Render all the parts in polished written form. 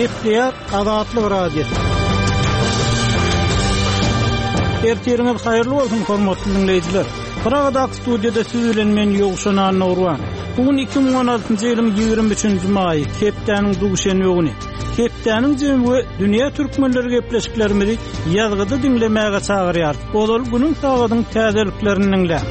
Gepleýär Azatlyk Radiosy. Ertiriňiz haýyrly bolsun, hormatly diňleýjiler. Pragadaky studiýada siz bilen men Ýowşan Annagurban. Bu gün 2016-njy ýylyň 23-nji maýy, hepdäniň duşenbe güni. Hepdäniň jemi we dünýä türkmenleri gepleşiklerimizi ýazgyda diňlemäge çagyrýar. Ozal günüň sagadyň täzeliklerini diňläň.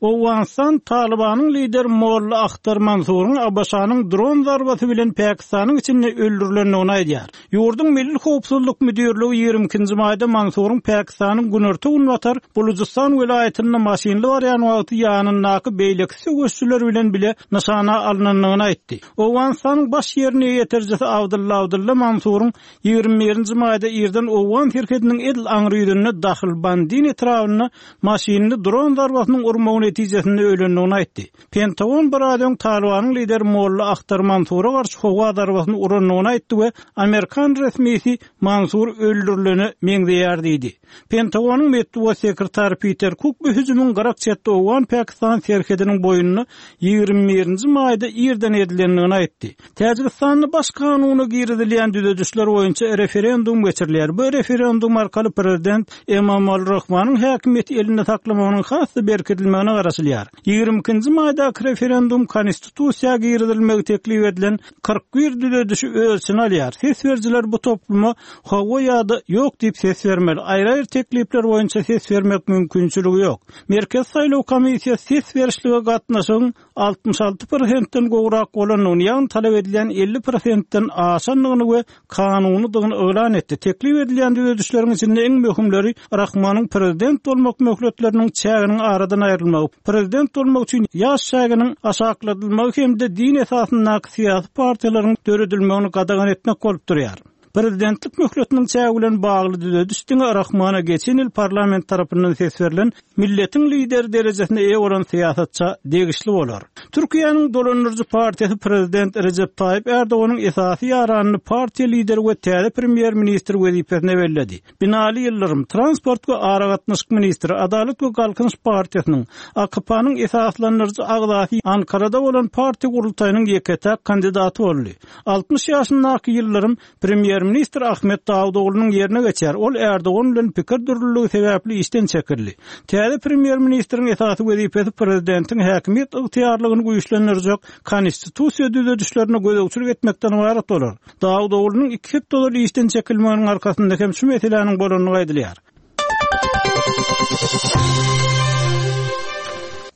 Owganystan Talybanyň lideri Molla Ahtar Mansuryň ABŞ-nyň dron zarbasy bilen Pakistanyň içinde öldürilendigini aýdýar. Ýurduň Milli howpsuzlyk müdirligi 22-nji maýda Mansuryň Pakistanyň günorta-günbatar Bulujystan welaýatynda maşynly barýan wagty ýanyndaky beýleki söweşijiler bilen bile nyşana alnandygyny aýtdy. Owganystanyň baş ýerine ýetirijisi Abdylla Abdylla Mansuryň 21-nji maýda irden owgan serhediniň edil aňry ýüzünde Dahlbandin etrabynda maşynly dron zarbasynyň urmagy netijesinde ölendigini aýtdy. Pentagon biraz öň Talybanyň lideri Molla Ahtar Mansura garşy howa zarbasyny urandygyny aýtdy we amerikan resmisi Mansur öldürilene meňzeýär diýdi. Pentagonyň metbugat sekretary Piter Kuk bu hüjümiň gyrak çetde owgan-pakistan serhediniň boýunda 21-nji maýda irden edilendigini aýtdy. Täjigistanda Baş kanuna girizilýän düzedişler boýunça referendum geçirilýär. Bu referendum arkaly prezident Emomali Rahmanyň häkimiýeti elinde saklamagynyň has-da berkidilmegine garaşylýar. 22-nji maýdaky referendum konstitusiýa girizilmegi teklip edilen 41 düzedişi öz içine alýar. Ses berijiler bu topluma hawa ýa-da ýok diýip ses bermeli. Aýry-aýry teklipler boýunça ses bermek mümkinçiligi ýok. Merkezi saýlaw komissiýasy ses berişlige gatnaşygyň 66 prosentden gowrak bolandygyny, ýagny talap edilýän 50 prosentden aşandygyny we kanunydygyny yglan etdi. Teklip edilýän düzedişleriň içinde iň möhümleri Rahmanyň prezident bolmak möhletleriniň çäginiň aradan aýrylmagy, prezident bolmak üçin ýaş çäginiň aşakladylmagy hem-de din esasyndaky syýasy partiýalaryň döredilmegini gadagan etmek bolup durýar. Prezidentlik möhletiniň çägi bilen bagly düzediş diňe Rahmana geçen ýyl parlament tarapyndan ses berlen milletiň lideri derejesine eýe bolan syýasatça degişli bolar. Türkiýäniň dolandyryjy partiýasy prezident Rejep Taýyp Erdoganyň esasy ýaranyny partiýa lideri we täze premýer-ministr wezipesine belledi. Binali Ýyldyrym, transport we aragatnaşyk ministri, Adalat we Galkynyş partiýasynyň, AKP-nyň esaslandyryjy agzasy Ankarada bolan partiýa gurultaýynyň ýeke-täk kandidaty boldy. 60 ýaşyndaky Ýyldyrym Premýer-ministr Ahmet Dawutoglunyň ýerine geçer. Ol Ärdogan bilen pikir dürlüligi sebäpli işden çekildi. Täze premýer-ministriň esasy wezipesi prezidentiň häkimiýet ygtyýarlygyny güýçlendirjek konstitusiýa düzedişlerine gözegçilik etmekden ybarat bolar. Dawutoglunyň iki hepde ozal işden çekilmeginiň arkasynda hem şu meseläniň bolandygy aýdylýar.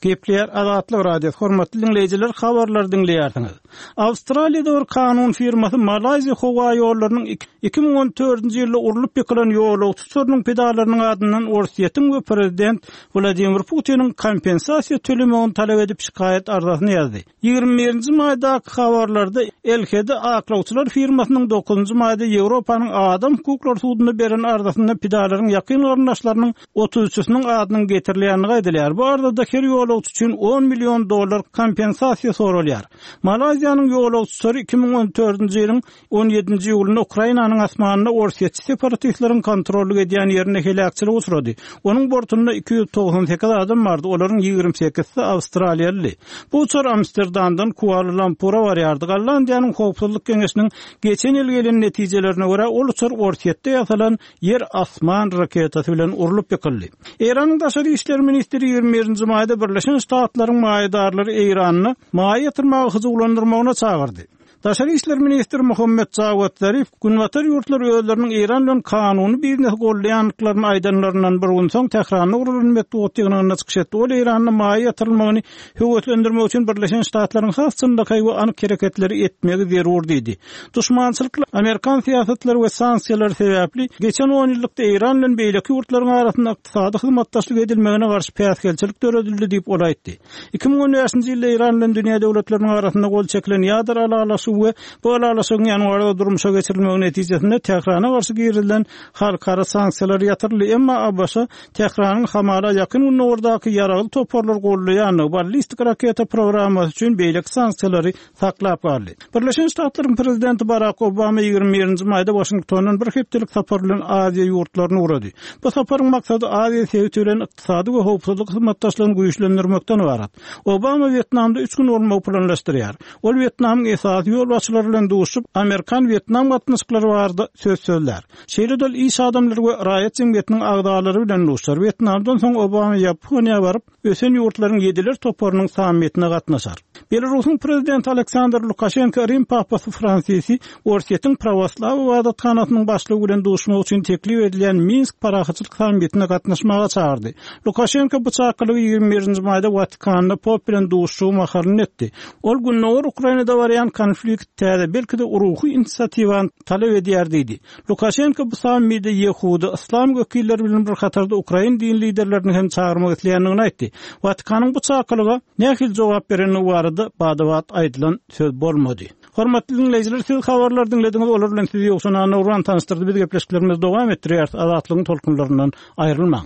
Gepleýär Azatlyk Radiosy, hormatly diňleýjiler, habarlary diňleýärsiňiz. Awstraliýada bir kanun firmasy Malaýziýa howa ýollarynyň 2014-nji ýylda urlup ýykylan ýolagçy uçarynyň pidalarynyň adyndan Orsýetiň we prezident Wladimir Putiniň kompensasiýa tölemegini talap edip şikaýat arzasyny ýazdy. 21-nji maýdaky habarlarda LHD aklawçylar firmasynyň 9-njy maýda Ýewropanyň Adam hukuklary sudunda beren arzasynda pidalaryň ýakyn garyndaşlarynyň 33-siniň adynyň getirilýändigi aýdylýar. Bu arzada her ýolagçy üçin 10 million dollar kompensasiýa soralýar. Malaýziýanyň ýolagçy uçary 2014-nji ýylyň On ýedinji iýulynda Ukrainanyň asmanynda orsýetçi separatistleriň kontrollyk edýän ýerinde heläkçilige uçrady. Onuň bortunda 298 adam bardy, olaryň 28-si awstraliýalydy. Bu uçar Amsterdamdan Kuala-Lumpura barýardy. Gollandiýanyň Howpsuzlyk geňeşiniň geçen ýyl gelen netijelerine görä, ol uçar Orsýetde ýasalan ýer-asman raketasy bilen urlup ýykyldy. Eýranyň daşary işler ministri 21-nji maýda Birleşen Ştatlaryň maýadarlary Eýranda maýa ýatyrmaga hyjuwlandyrmagyna çagyrdy. Daşary işler ministri Muhammet Jawad Zarif Günbatar ýurtlary özleriniň Eýran bilen kanuny biznesi goldaýandyklaryny aýdanlaryndan bir gün soň Tähranda guralan metbugat ýygnagynda çykyş etdi. Ol Eýranda maýa ýatyrylmagyny höweslendirmek üçin Birleşen Ştatlaryň has çynlakaý we anyk hereketleri etmegi zerur diýdi. Duşmançylykly amerikan syýasatlary we sanksiýalary sebäpli geçen onýyllykda Eýran bilen beýleki ýurtlaryň arasynda ykdysady hyzmatdaşlyk edilmegine garşy päsgelçilik döredildi diýip, ol aýtdy. 2015-nji ýylda Eýran bilen dünýä döwletleriniň arasynda gol çekilen ýadro ylalaşygy. ylalaşygy we bu ylalaşygyň ýanwarda durmuşa geçirilmegi netijesinde Tährana garşy girizilen halkara sanksiýalar ýatyryldy, emma ABŞ Tähranyň hamala Ýakyn Gündogardaky ýaragly toparlary goldaýandygy, ballistik raketa programmasy üçin beýleki sanksiýalary saklap galdy. Birleşen Ştatlaryň prezidenti Barak Obama 21 nji maýda Waşingtondan bir hepdelik sapar bilen Aziýa ýurtlaryna ugrady. Bu saparyň maksady Aziýa sebiti bilen ykdysady we howpsuzlyk hyzmatdaşlygyny güýçlendirmekden ybarat. Obama Wýetnamda üç gün bolmagy planlaşdyrýar. Ol Wýetnamyň esasy ýolbaşçylary bilen duşup, amerikan-wýetnam gatnaşyklary barada söz sözlär. Şeýle-de ol iş adamlary we raýat jemgyýetiniň agzalary bilen duşar. Wýetnamdan soň Obama Ýaponiýa baryp, ösen ýurtlaryň ýediler toparynyň sammitine gatnaşar. Belarusyň prezidenti Aleksandr Lukaşenko Rim papasy Fransisi Orsýetiň prawoslaw ybadathanasynyň başlygy bilen duşmak üçin teklip edilýän Minsk parahatçylyk sammitine gatnaşmaga çagyrdy. Lukaşenko bu çakylygy 21 nji maýda Watikanda pop bilen duşuşygy mahalynda etdi. Ol Gündogar Ukrainada barýan konflikt täze, belki-de ruhy inisiatiwany talap edýär diýdi. Lukaşenko bu sammide ýehudy, yslam wekilleri bilen bir hatarda ukrain din liderlerini hem çagyrmak isleýändigini aýtdy. Watikanyň bu çakylyga nähili jogap berendigi barada bada-bat aýdylan söz bolmady. Hormatly diňleýjiler, siz habarlary diňlediňiz, olar bilen sizi Ýowşan Annagurban tanyşdyrdy. Biz gepleşiklerimizi dowam etdirýäris, Azatlygyň tolkunlaryndan aýrylmaň.